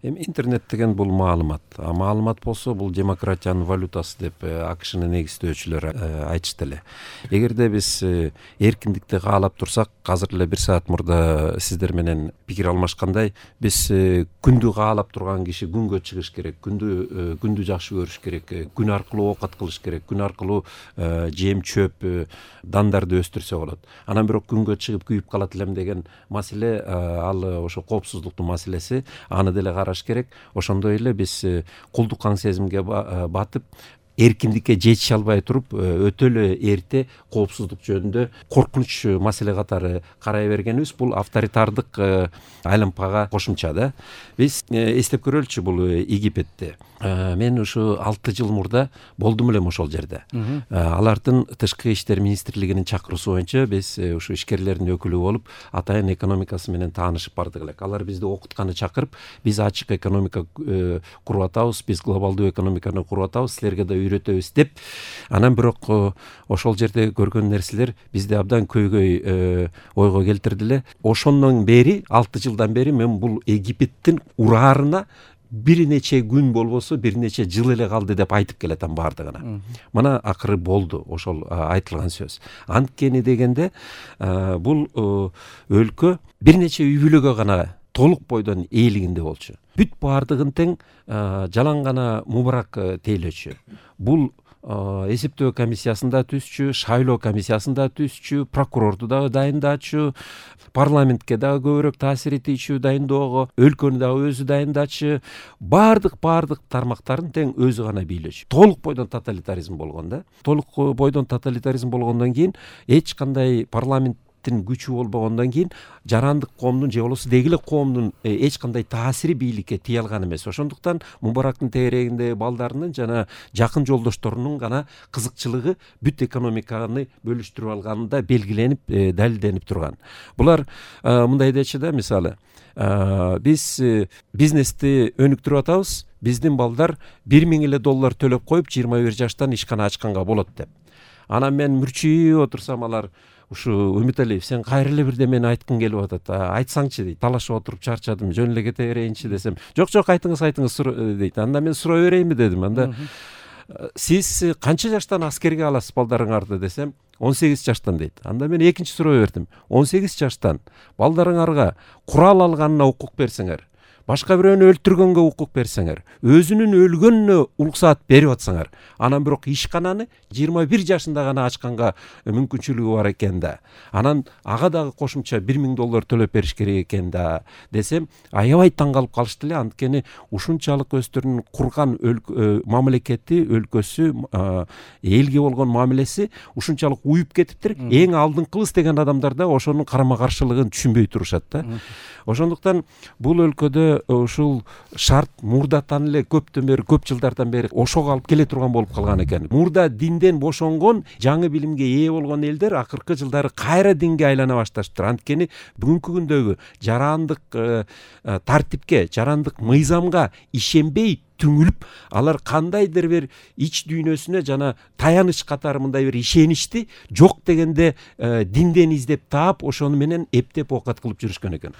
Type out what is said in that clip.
Эми интернет деген бул маалымат. Маалымат болсо бул демократиянын валютасы деп АКШнын негиздөөчүлөрү айтышты эле. Эгерде биз эркиндикти каалап турсак, азыр эле 1 саат мурда сиздер менен пикир алмашкандай, биз күндү каалап турган киши күнгө чыгыш керек, күндү жакшы көрүш керек, күн аркылуу оокат кылыш керек, күн аркылуу жем чөп, дандарды өстүрсө болот. Анан бирок күнгө чыгып күйүп калат элем деген маселе, ал ошо коопсуздуктун маселеси, аны деле караш керек. Ошондой эле биз кулдук аң сезимге батып, эркиндикке жетише албай туруп, өтө эле эрте коопсуздук жөнүндө коркунуч маселе катары карай бергенибиз бул авторитардык айлампага кошумча да. Биз эстеп көрөлүчү бул Египетти. Мен ушу 6 жыл мурда болдум элем ошол жерде. Алардын тышкы иштер министрлигинин чакыруусу боюнча биз ушу ишкерлердин өкүлү болуп, атайын экономикасы менен таанышып бардык элек. Алар бизди окутканы чакырып, биз ачык экономика куруп атабыз, биз глобалдуу экономиканы куруп атабыз, силерге да үйрөтөбүз деп. Анан бирок ошол жерде көргөн нерселер бизди абдан көйгөй ойго келтирди эле. Ошондон бери, 6 жылдан бери мен бул Египеттин ураарына бир нече күн болбосо бир нече жыл эле калды деп айтып келатам баардыгына. Мына акыры болду ошол айтылган сөз. Анткени дегенде бул өлкө бир нече үй бүлөгө гана толук бойдон ээлигинде болчу. Бүт баардыгын тең жалаң гана Мубарак тейлөөчү. Бул эсептөө комиссиясында түзчү, шайлоо комиссиясында түзчү, прокурорду дагы дайындачу, парламентке дагы көбүрөөк таасир этүүчү дайындоого, өлкөнү дагы өзү дайындачу, баардык тармактарын тең өзү гана бийлөөчү. Толук бойдон тоталитаризм болгон да. Толук бойдон тоталитаризм болгондон кийин эч кандай парламент күчү болбогондон кийин жарандык коомдун же болбосо деги эле коомдун эч кандай таасири бийликке тие алган эмес. Ошондуктан Мубарактын тегерегинде балдарынын жана жакын жолдошторунун гана кызыкчылыгы бүт экономиканы бөлүштүрүп алганында белгиленип, далилденип турган. Булар мындай дечи да, мисалы, биз бизнести өнүктүрүп атабыз, биздин балдар $1000 төлөп коюп 21 жаштан ишкана ачканга болот деп. Анан мен мүрчүйүп отурсам, алар ушу Үмүталиев, сен кайра эле бирдемени айткың келип атат, айтсаңчы дейт. Талашып отуруп чарчадым, жөн эле кете берейинчи десем, жок айтыңыз дейт. Анда мен сурай берейинби дедим. Анда сиз канча жаштан аскерге аласыз балдарыңарды десем, 18 жаштан дейт. Анда мен экинчи суроо бердим. 18 жаштан балдарыңарга курал алганына укук берсеңер, башка бирөөнү өлтүргөнгө укук берсеңер, өзүнүн өлгөнүнө уруксаат берип атсаңар, анан бирок ишкананы 21 жашында гана ачканга мүмкүнчүлүгү бар экен да. Анан ага дагы кошумча $1000 төлөп бериш керек экен да десем, аябай таң калып калышты эле. Анткени ушунчалык өздөрүнүн курган мамлекети, өлкөсү, элге болгон мамилеси ушунчалык уюп кетиптир. Эң алдыңкыбыз деген адамдар да ошонун карама каршылыгын түшүнбөй турушат да. Ошондуктан бул өлкөдө ушул шарт мурдатан эле көп жылдардан бери ошого алып келе турган болуп калган экен. Мурда динден бошонгон, жаңы билимге ээ болгон элдер акыркы жылдары кайра динге айлана башташыптыр. Анткени бүгүнкү күндөгү жарандык тартипке, жарандык мыйзамга ишенбей түңүлүп, алар кандайдыр бир ич дүйнөсүнө жана таяныч катары мындай бир ишеничти жок дегенде динден издеп таап, ошону менен эптеп оокат кылып жүрүшкөн экен.